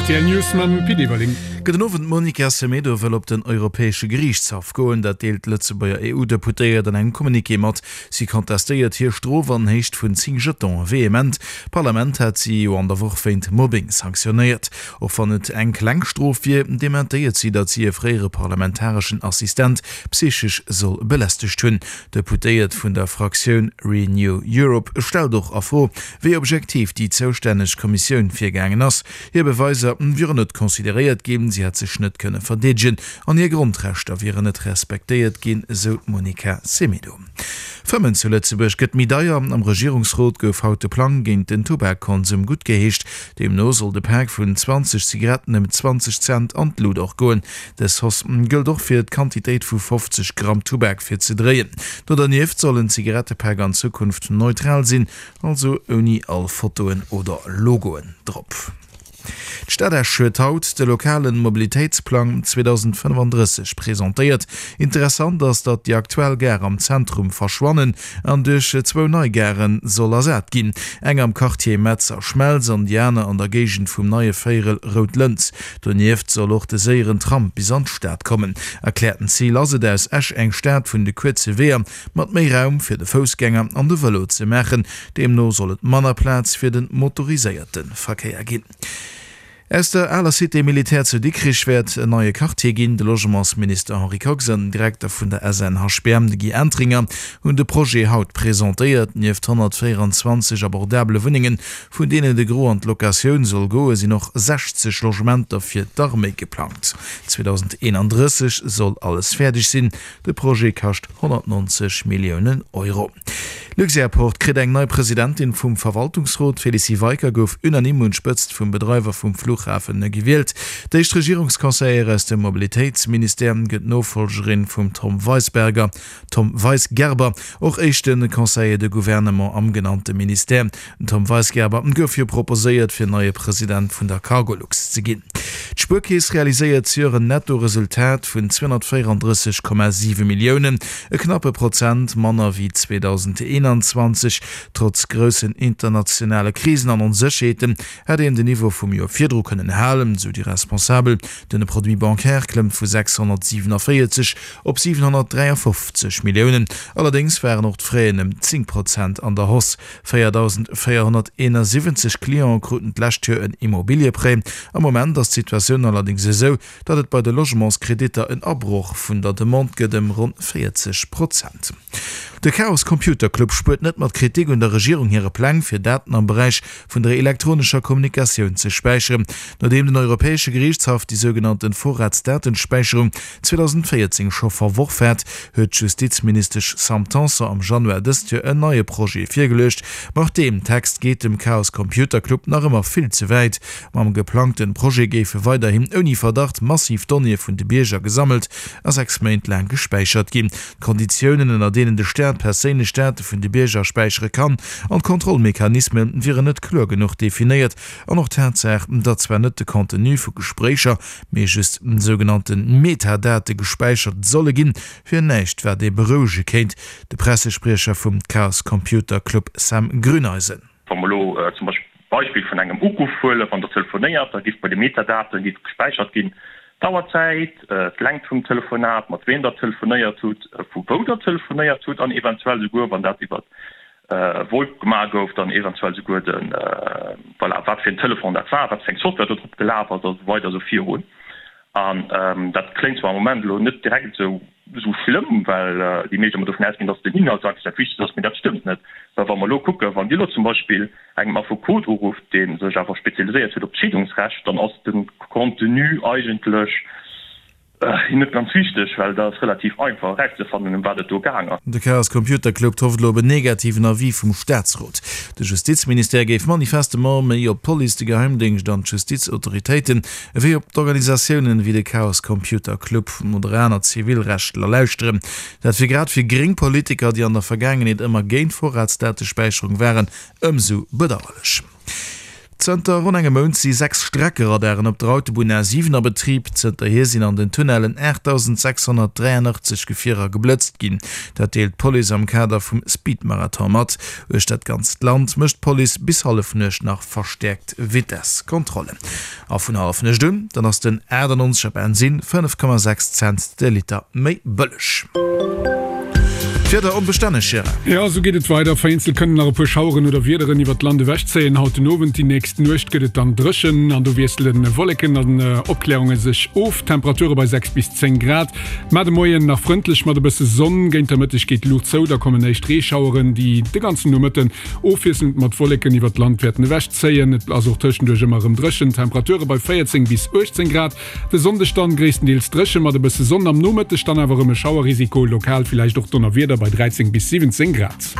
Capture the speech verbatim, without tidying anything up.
R T L News mam Pit Everling. Gudden Owend, D'Monica Semedo wëll op den Europäesche Geriichtshaff goen. Dat deelt d'Lëtzebuerger E U-Deputéiert an engem Communiqué mat. Si contestéiert hir Strof an Héicht vun zéng Jetonen vehement. D'Parlament hat si jo an der Woch wéint Mobbing sanktionéiert. Och wann et eng kleng Strof wier, dementéiert si, datt si e fréiere parlamentareschen Assistent psychesch soll belästegt hunn. D'Deputéiert vun der Fraktioun Renew Europe stellt och a Fro, wéi objektiv déi zoustänneg Kommissioun virgaangen ass. Hir Beweiser wieren net consideréiert ginn, si hätt sech net kënne verdeedegen an hir Grondrechter wieren net respektéiert ginn, esou d'Monica Semedo. Fëmmen zu Lëtzebuerg gëtt méi deier. Am Regierungsrot gouf haut de Plang géint den Tubakkonsum guttgeheescht. Deemno soll de Pak vun zwanzeg Zigaretten ëm zwanzeg Cent an d'Lut och goen. Dës Hausse gëllt och fir d'Quantitéit vu fofzeg Gramm Tubak fir ze dréien. Do dernieft soll en Zigarettepak an Zukunft neutral sinn, also ouni all Fotoen oder Logoen drop. D'Stad Esch huet haut de lokale Mobilitéitsplang zweedausendfënnefandrësseg presentéiert. Interessant ass, datt déi aktuell Gare am Zentrum verschwannen an duerch zwou nei Gare soll ersat ginn, eng am Quartier Metz a Schmelz an déi aner an der Géigend vum neie Véierel Rout Lëns. Donieft soll och de séieren Tram bis an d'Stad kommen. Erkläerten Zil ass et, aus Esch eng Stad vun de kuerze Weeër mat méi Raum fir de Foussgänger an de Vëlo ze maachen. Deemno soll et manner Plaz fir de motoriséierte Verkéier ginn. Aus der aler Cité militaire zu Dikrich wäert en neie Quartier ginn. De Logementsminister Henri Kox an den Direkter vun der S N H B M, de Guy Entringer, hunn de Projet haut presentéiert. Nieft honnertvéieranzwanzeg abordabele Wunnengen, vun deenen de Gros an d'Locatioun soll goen, sinn och sechzeg Logementer fir d'Arméi geplangt. zweedausendeenandrësseg soll alles fäerdeg sinn. De Projet kascht honnertnonzeg Milliounen Euro. Luxairport kritt eng nei Presidentin vum Verwaltungsrot. D'Félicie Weicker gouf unanime un d'Spëtzt vum Bedreiwer vum Fluchhafen gewielt. D'éischt Regierungsconseillère aus dem Mobilitéitsministère gëtt d'Nofollgerin vum Tom Weisberger, Tom Weisgerber, och éischte Conseiller de Gouvernement am genannte Ministère. Den Tom Weisgerber gouf jo proposéiert fir neie President vun der Cargolux ze ginn. D'Spuerkeess realiséiert zejoert en Netto-Resultat vun zweehonnertvéierandrësseg Komma siwe Milliounen, e knappe Prozent manner wéi zweedausendeenanzwanzeg. Trotz groussen internationale Krisen an Onsécherheeten hätt een den Niveau vum Joer virdru kënnen halen, sou déi Responsabel. Den Produit bancaire klëmmt vu sechshonnertsiwenavéierzeg op siwenhonnertdräiafofzeg Milliounen. Allerdéngs waren och d'Fraisen ëm zéng Prozent an der Hausse. véierdausendvéierhonnerteenasiwwenzeg Cliente kruten d'lescht Joer en Immobilieprêt. Am Moment ass d'Situatioun allerdéngs esou, datt et bei de Logementskreditter en Abroch vun der Demande gëtt ëm ronn véierzeg Prozent. De Chaos Computer Club spuert net mat Kritik un der Regierung hire Pläng, fir Daten am Beräich vun der elektronescher Kommunikatioun ze späicheren. Nodeem den Europäesche Geriichtshaff déi sougenannten Vorratsdatenspäicherung zweedausendvéierzéng scho verworf hat, huet d'Justizministesch Sam Tanson am Januar dëst Joer en neie Projet virgeluecht. Ma och deem Text geet dem Chaos Computer Club nach ëmmer vill ze wäit. Mam geplangten Projet géife weiderhin ouni Verdacht massiv Donnéeë vun de Bierger gesammelt a sechs Méint laang gespäichert ginn. D'Konditiounen, ënner deenen de Staat perséinlech Date vun de Bierger späichere kann, an d'Kontrollmechanisme wieren net kloer genuch definéiert. An och d'Tatsaach, datt zwar net de Contenu vu Gespréicher, mee just sougenannte Metadate gespäichert solle ginn, wier näischt, wat ee berouege kéint. De Pressespriecher vum Chaos Computer Club Sam Grüneisen. Wa mer elo zum Beispill d'Beispill vun engem Uruff huelen, wann Der telefonéiert, da géif bei de Metadaten géif gespäichert ginn d'Auerzäit, d'Längt vum Telefonat, mat wem Der telefonéiert hutt, vu wou Der telefonéiert hutt an eventuell souguer, wann dat iwwer VoIP gemaach gouf, dann eventuell souguer de, voilà, wat fir en Telefon dat war, wat fir eng Software do drop gelaf ass a sou weider a sou virun. An dat kléngt zwar am Moment elo net direkt esou esou schlëmm, well déi meescht ëmmer dovun ausginn, dass den Inhalt eigentlech dat Wichtegst ass, mee dat stëmmt net. Well wa mer elo kucken, wann Dir elo zum Beispill engem Affekot urufft, dee sech awer spezialiséiert huet op d'Scheedungsrecht, dann ass de Contenu eigentlech net ganz wichteg, well dat ass relativ einfach erauszefannen, ëm wat et do gaang ass. De Chaos Computer Club hofft elo op en negativen Avis vum Staatsrot. De Justizministère géif manifestement méi op d'Police, de Geheimdéngscht an d'Justizautoritéiten ewéi op d'Organisatiounen ewéi de Chaos Computer Club oder aner Zivilrechtler lauschteren. Dat wier grad fir gréng Politiker, déi an der Vergaangenheet ëmmer géint Vorratsdatespäicherung waren, ëmsou bedauerlech. Zënter ronn engem Mount si sechs Streckeradaren op der Autobunn A siwen a Betrib. Zënterhier sinn an den Tunnellen aachtdausendsechshonnertdräianachtzeg Gefierer geblëtzt ginn. Dat deelt d'Police am Kader vum Speedmarathon mat. Uechter dat ganzt Land mécht d'Police bis Hallefnuecht nach verstäerkt Vitesskontrollen. A vun Hallefnuecht un, dann ass den achtannonzeger Bensinn fënnef Komma sechs Cent de Liter méi bëlleg. D'Wieder onbestänneg, Gérard. Jo, esou geet et weider. Vereenzelt kënnen nach e puer Schaueren oder Wiederen iwwert d'Land ewechzéien. Haut den Owend, déi nächst Nuecht gëtt et dann dréchen an do wiessele Wolleken an Opkläerunge sech of. Temperature bei sechs bis zéng Grad. Mar de Moien nach frëndlech mat e bësse Sonn. Géint der Mëtteg geet d'Luucht zou, da kommen éischt Reeschaueren, déi de ganzen Nomëtten ofwiesselnd mat Wolleken iwwert d'Land wäerten ewechzéien. Et ass och tëschenduerch ëmmer erëm dréchen. Temperature bei véierzéng bis uechtzéng Grad. De Sonndeg dann gréisstendeels dréche mat e bësse Sonn, am Nomëtteg dann awer erëm e Schauerrisiko, lokal villäicht och Donnerwieder bei dräizéng bis siwwenzéng Grad.